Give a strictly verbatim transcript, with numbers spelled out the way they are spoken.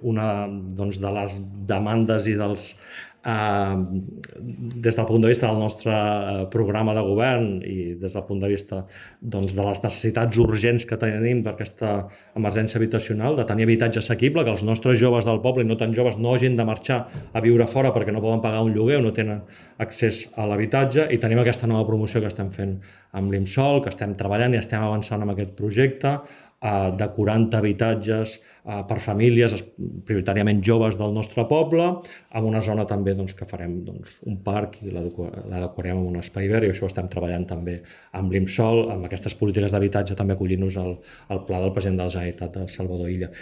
Una doncs, de les demandes i dels, eh, des del punt de vista del nostre programa de govern i des del punt de vista doncs, de les necessitats urgents que tenim per aquesta emergència habitacional, de tenir habitatge assequible, que els nostres joves del poble i no tan joves no hagin de marxar a viure fora perquè no poden pagar un lloguer o no tenen accés a l'habitatge, i tenim aquesta nova promoció que estem fent amb l'IMSOL, que estem treballant i estem avançant amb aquest projecte, de quaranta habitatges per famílies, prioritàriament joves del nostre poble, en una zona també que farem un parc i l'adequarem en un espai verd, i això ho estem treballant també amb l'IMSOL, amb aquestes polítiques d'habitatge, també acollint-nos al pla del president de la Generalitat, Salvador Illa.